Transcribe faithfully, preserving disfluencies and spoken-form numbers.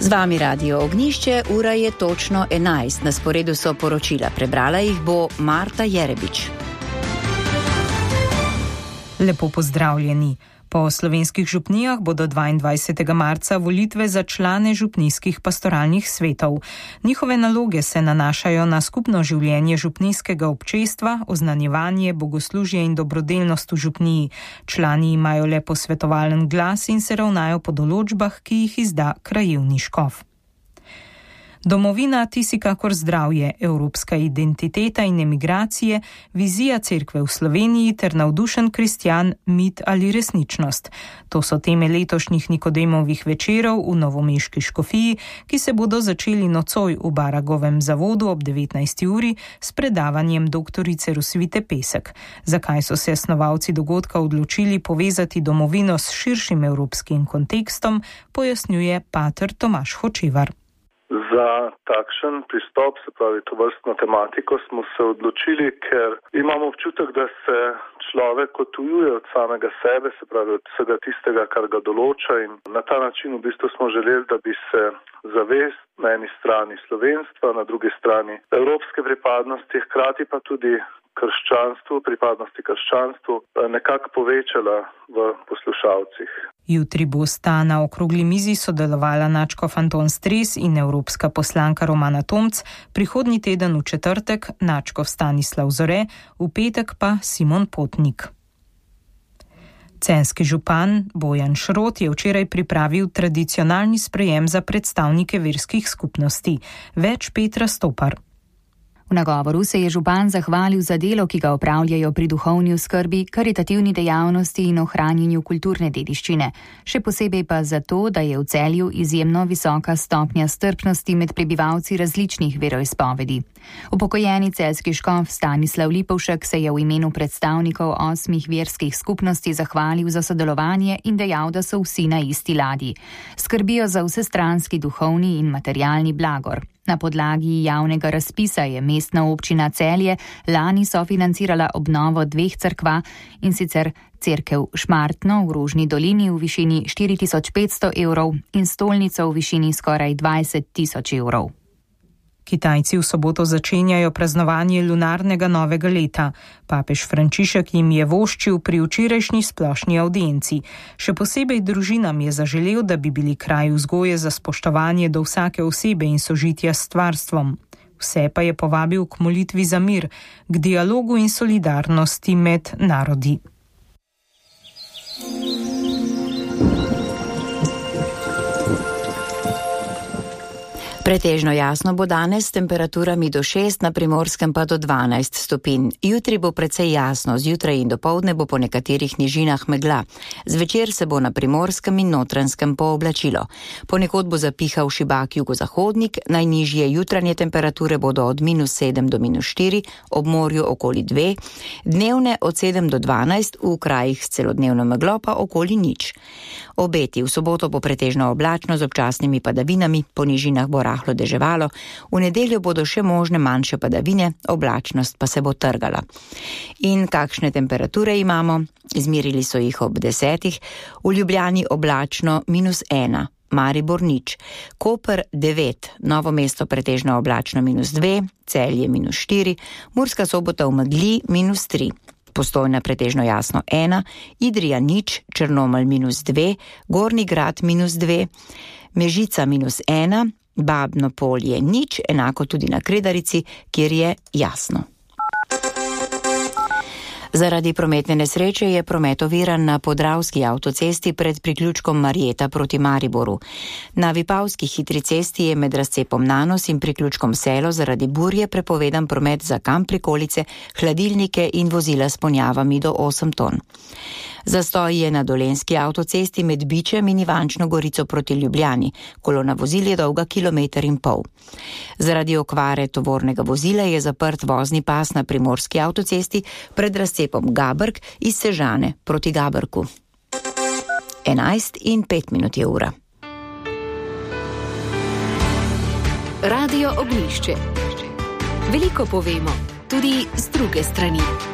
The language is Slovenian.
Z vami Radio Ognjišče, ura je točno enajst. Na sporedu so poročila. Prebrala jih bo Marta Jerebič. Lepo pozdravljeni. Po slovenskih župnijah bodo dvaindvajsetega marca volitve za člane župnijskih pastoralnih svetov. Njihove naloge se nanašajo na skupno življenje župnijskega občestva, oznanjevanje, bogoslužje in dobrodelnost v župniji. Člani imajo le posvetovalen glas in se ravnajo po določbah, ki jih izda krajevni škof. Domovina, ti si kakor zdravje, evropska identiteta in emigracije, vizija cerkve v Sloveniji ter navdušen kristjan, mit ali resničnost. To so teme letošnjih Nikodemovih večerov v novomeški škofiji, ki se bodo začeli nocoj v Baragovem zavodu ob devetnajsti uri s predavanjem doktorice Rosvite Pesek. Zakaj so se snovalci dogodka odločili povezati domovino s širšim evropskim kontekstom, pojasnjuje pater Tomaž Hočevar. Za takšen pristop, se pravi to vrstno tematiko, smo se odločili, ker imamo občutek, da se človek odtujuje od samega sebe, se pravi od vsega tistega, kar ga določa, in na ta način v bistvu smo želeli, da bi se zavest na eni strani slovenstva, na drugi strani evropske pripadnosti, hkrati pa tudi krščanstvu, pripadnosti krščanstvu nekako povečala v poslušalcih. Jutri bosta na okrogli mizi sodelovala nadškof Anton Stres in evropska poslanka Romana Tomc, prihodnji teden v četrtek nadškof Stanislav Zore, v petek pa Simon Potnik. Celjski župan Bojan Šrot je včeraj pripravil tradicionalni sprejem za predstavnike verskih skupnosti. Več Petra Stopar. V nagovoru se je župan zahvalil za delo, ki ga opravljajo pri duhovni oskrbi, karitativni dejavnosti in ohranjanju kulturne dediščine. Še posebej pa zato, da je v Celju izjemno visoka stopnja strpnosti med prebivalci različnih veroizpovedi. Upokojeni celjski škof Stanislav Lipovšek se je v imenu predstavnikov osmih verskih skupnosti zahvalil za sodelovanje in dejal, da so vsi na isti ladji. Skrbijo za vsestranski duhovni in materialni blagor. Na podlagi javnega razpisa je mestna občina Celje lani sofinancirala obnovo dveh cerkva, in sicer cerkev Šmartno v Rožni dolini v višini štiri tisoč petsto evrov in stolnico v višini skoraj dvajset tisoč evrov. Kitajci v soboto začenjajo praznovanje lunarnega novega leta. Papež Frančišek jim je voščil pri včerajšnji splošni avdienci. Še posebej družinam je zaželel, da bi bili kraj vzgoje za spoštovanje do vsake osebe in sožitja s stvarstvom. Vse pa je povabil k molitvi za mir, k dialogu in solidarnosti med narodi. Pretežno jasno bo danes s temperaturami do šest, na Primorskem pa do dvanajst stopinj. Jutri bo precej jasno, zjutraj in dopoldne bo po nekaterih nižinah megla. Zvečer se bo na Primorskem in Notranjskem pooblačilo. Ponekod bo zapihal šibak jugozahodnik, najnižje jutranje temperature bodo od minus sedem do minus štiri, ob morju okoli dve, dnevne od sedem do dvanajst, v krajih s celodnevno meglo pa okoli nič. Obeti: v soboto bo pretežno oblačno z občasnimi padavinami, po nižinah bo rahlo deževalo, v nedeljo bodo še možne manjše padavine, oblačnost pa se bo trgala. In kakšne temperature imamo? Izmerili so jih ob desetih, v Ljubljani oblačno minus ena, Maribor nič, Koper devet, Novo mesto pretežno oblačno minus dve, Celje minus štiri, Murska Sobota v megli minus tri. Postojna pretežno jasno ena, Idrija nič, Črnomelj minus dve, Gornji Grad minus dve, Mežica minus ena, Babno Polje nič, enako tudi na Kredarici, kjer je jasno. Zaradi prometne nesreče je promet oviran na Podravski avtocesti pred priključkom Marjeta proti Mariboru. Na Vipavski hitri cesti je med razcepom Nanos in priključkom Selo zaradi burje prepovedan promet za kamp prikolice, hladilnike in vozila s ponjavami do osem ton. Zastoj je na Dolenjski avtocesti med Bičem in Ivančno Gorico proti Ljubljani. Kolona vozil je dolga kilometer in pol. Zaradi okvare tovornega vozila je zaprt vozni pas na Primorski avtocesti pred razcepom Gabrk iz Sežane proti Gabrku. enajst in pet minut je ura. Radio Ognjišče. Veliko povemo, tudi z druge strani.